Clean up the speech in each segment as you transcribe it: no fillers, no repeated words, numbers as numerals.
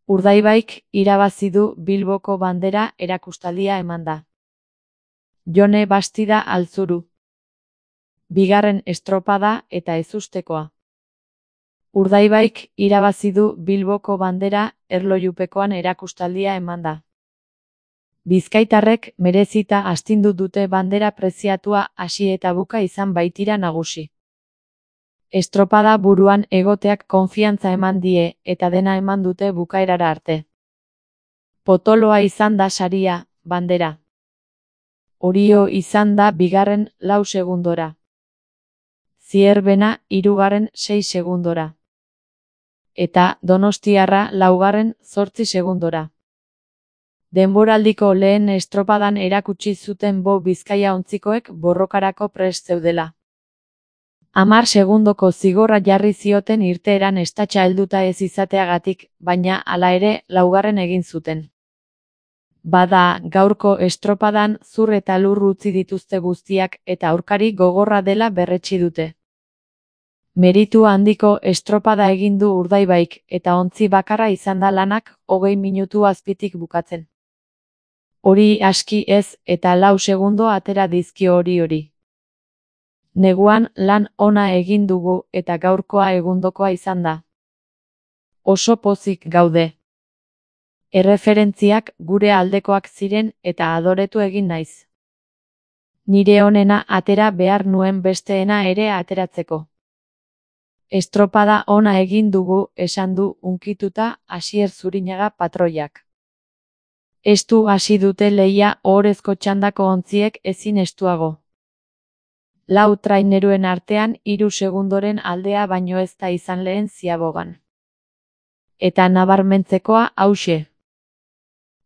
Urdaibaik irabazi du Bilboko bandera erakustaldia emanda. Jone Bastida Altzuru. Bigarren estropada eta ezustekoa. Urdaibaik irabazi du Bilboko bandera erlojupekoan erakustaldia emanda. Bizkaitarrek merezita astindu dute bandera preziatua hasi eta buka izan baitira nagusi. Estropada buruan egoteak konfiantza eman die eta dena eman dute bukaerara arte. Potoloa izan da saria, bandera. Orio izan da bigarren 4 segundora. Zierbena hirugarren 6 segundora. Eta Donostiarra laugarren 8 segundora. Denboraldiko lehen estropadan erakutsi zuten Bo Bizkaia ontzikoek borrokarako prest zeudela. 10 segundoko zigorra jarri zioten irteeran estatxa helduta ez izateagatik, baina hala ere laugarren egin zuten. Bada, gaurko estropadan zur eta lur utzi dituzte guztiak eta aurkari gogorra dela berretsi dute. Meritu handiko estropada egin du Urdaibaik eta ontzi bakarra izan da lanak 20 minutu azpitik bukatzen. Hori aski ez eta 4 segundo atera dizkio hori. Neguan lan ona egin dugu eta gaurkoa egundokoa izan da. Oso pozik gaude. Erreferentziak gure aldekoak ziren eta adoretu egin naiz. Nire onena atera behar nuen besteena ere ateratzeko. Estropada ona egin dugu, esan du hunkituta Asier Zurinaga patroiak. Estu hasi dute lehia ohorezko txandako ontziek ezin estuago. 4 traineruen artean 3 segundoren aldea baino ez da izan lehen ziabogan. Eta nabarmentzekoa hauxe.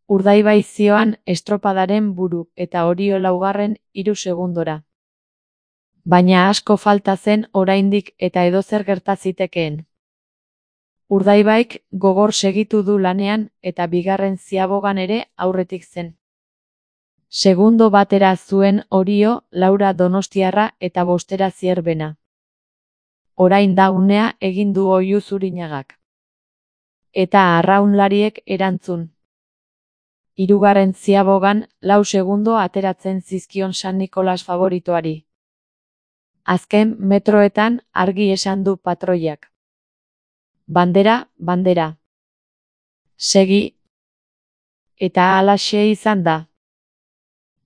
Urdaibai zioan estropadaren buru eta Orio laugarren 3 segundora. Baina asko falta zen oraindik eta edozer gerta zitekeen. Urdaibaik gogor segitu du lanean eta bigarren ziabogan ere aurretik zen. Segundo batera zuen Orio, Laura Donostiarra eta bostera Zierbena. Orain da unea egin du Oiu Zurinagak. Eta arraunlariek erantzun. Hirugarren ziabogan 4 segundo ateratzen zizkion San Nikolas favoritoari. Azken metroetan argi esan du patroiak. Bandera, bandera. Segi. Eta halaxe izan da.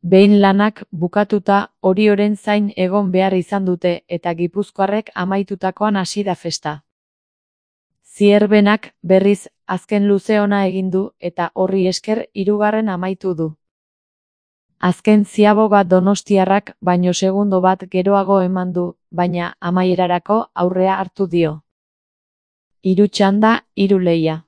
Behin lanak bukatuta Orioren zain egon behar izan dute eta gipuzkoarrek amaitutakoan hasi da festa. Zierbenak berriz azken luze ona egin du eta horri esker hirugarren amaitu du. Azken ziaboga Donostiarrak baino segundo bat geroago eman du, baina amaierarako aurrea hartu dio. 3 txanda, 3 lehia.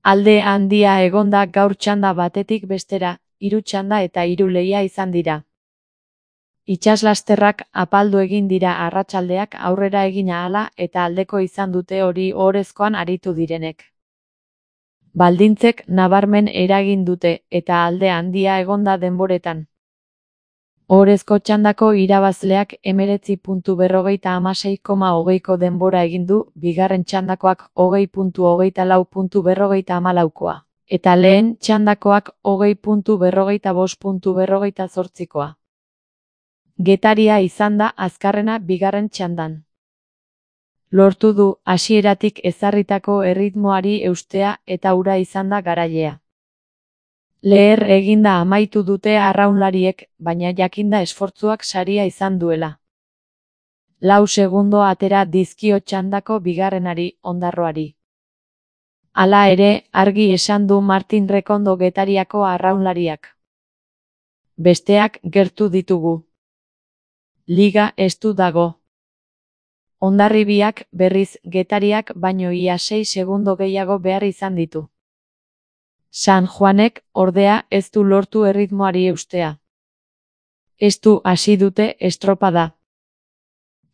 Alde handia egonda gaur txanda batetik bestera, 3 txanda eta 3 lehia izan dira. Itsaslasterrak apaldu egin dira arratsaldeak aurrera egin ahala eta aldeko izan dute hori ohorezkoan aritu direnek. Baldintzek nabarmen eragin dute eta alde handia egonda denboretan. Ohorezko txandako irabazleak 19.56,20ko denbora egin du, bigarren txandakoak 20.24.48koa. Eta lehen txandakoak 20.45.48koa. Getaria izan da azkarrena bigarren txandan. Lortu du hasieratik ezarritako erritmoari eustea eta hura izan da garailea. Leher eginda amaitu dute arraunlariek, baina jakinda esfortzuak saria izan duela. 4 segundo atera dizkio txandako bigarrenari, Ondarroari. Hala ere, argi esan du Martin Rekondo Getariako arraunlariak. Besteak gertu ditugu. Liga estu dago. Hondarribiak berriz Getariak baino ia 6 segundo gehiago behar izan ditu. San Juanek, ordea, ez du lortu erritmoari eustea. Estu hasi dute estropada.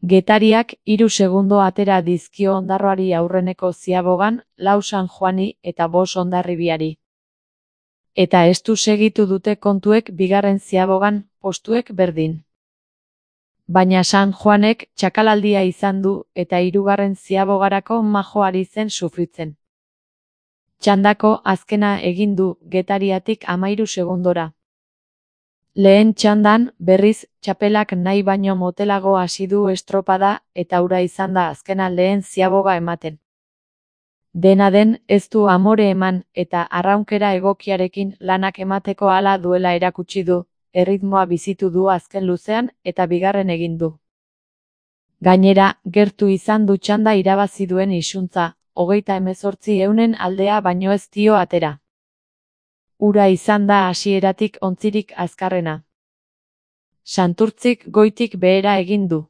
Getariak 3 segundo atera dizkio Ondarroari aurreneko ziabogan, 4 San Juani eta 5 Hondarribiari. Eta estu segitu dute kontuek bigarren ziabogan, postuek berdin. Baina San Juanek txakalaldia izan du eta hirugarren ziabogarako majo ari zen sufritzen. Txandako azkena egin du Getariatik 13 segundora. Lehen txandan, berriz, txapelak nahi baino motelago hasi du estropada eta hura izan da azkena lehen ziaboga ematen. Dena den, ez du amore eman eta arraunkera egokiarekin lanak emateko hala duela erakutsi du, erritmoa bizitu du azken luzean eta bigarren egin du. Gainera, gertu izan du txanda irabazi duen isuntza, 38 aldea baino ez dio atera. Hura izan da hasieratik ontzirik azkarrena. Santurtzik goitik behera egin du.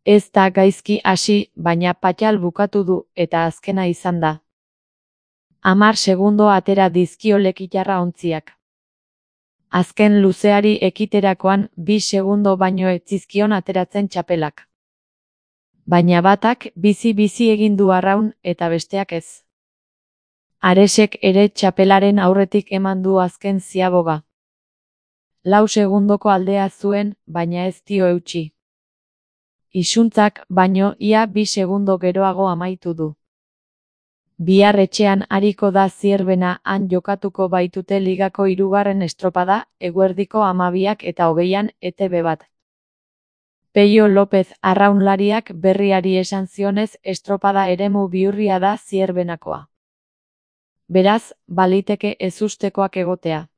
Ez da gaizki hasi, baina patxal bukatu du eta azkena izan da. 10 segundo atera dizkio lekitarra ontziak. Azken luzeari ekiterakoan 2 segundo baino ez zizkion ateratzen txapelak. Baina batak bizi-bizi egin du arraun eta besteak ez. Aresek ere txapelaren aurretik eman du azken ziaboga. 4 segundoko aldea zuen, baina ez dio eutsi. Isuntzak baino ia 2 segundo geroago amaitu du. Bihar etxean ariko da Zierbena han jokatuko baitute ligako 3. estropada, eguerdiko 12:20 ETB bat. Peio Lopez arraunlariak berriari esan zionez estropada eremu bihurria da Zierbenakoa. Beraz, baliteke ezustekoak egotea.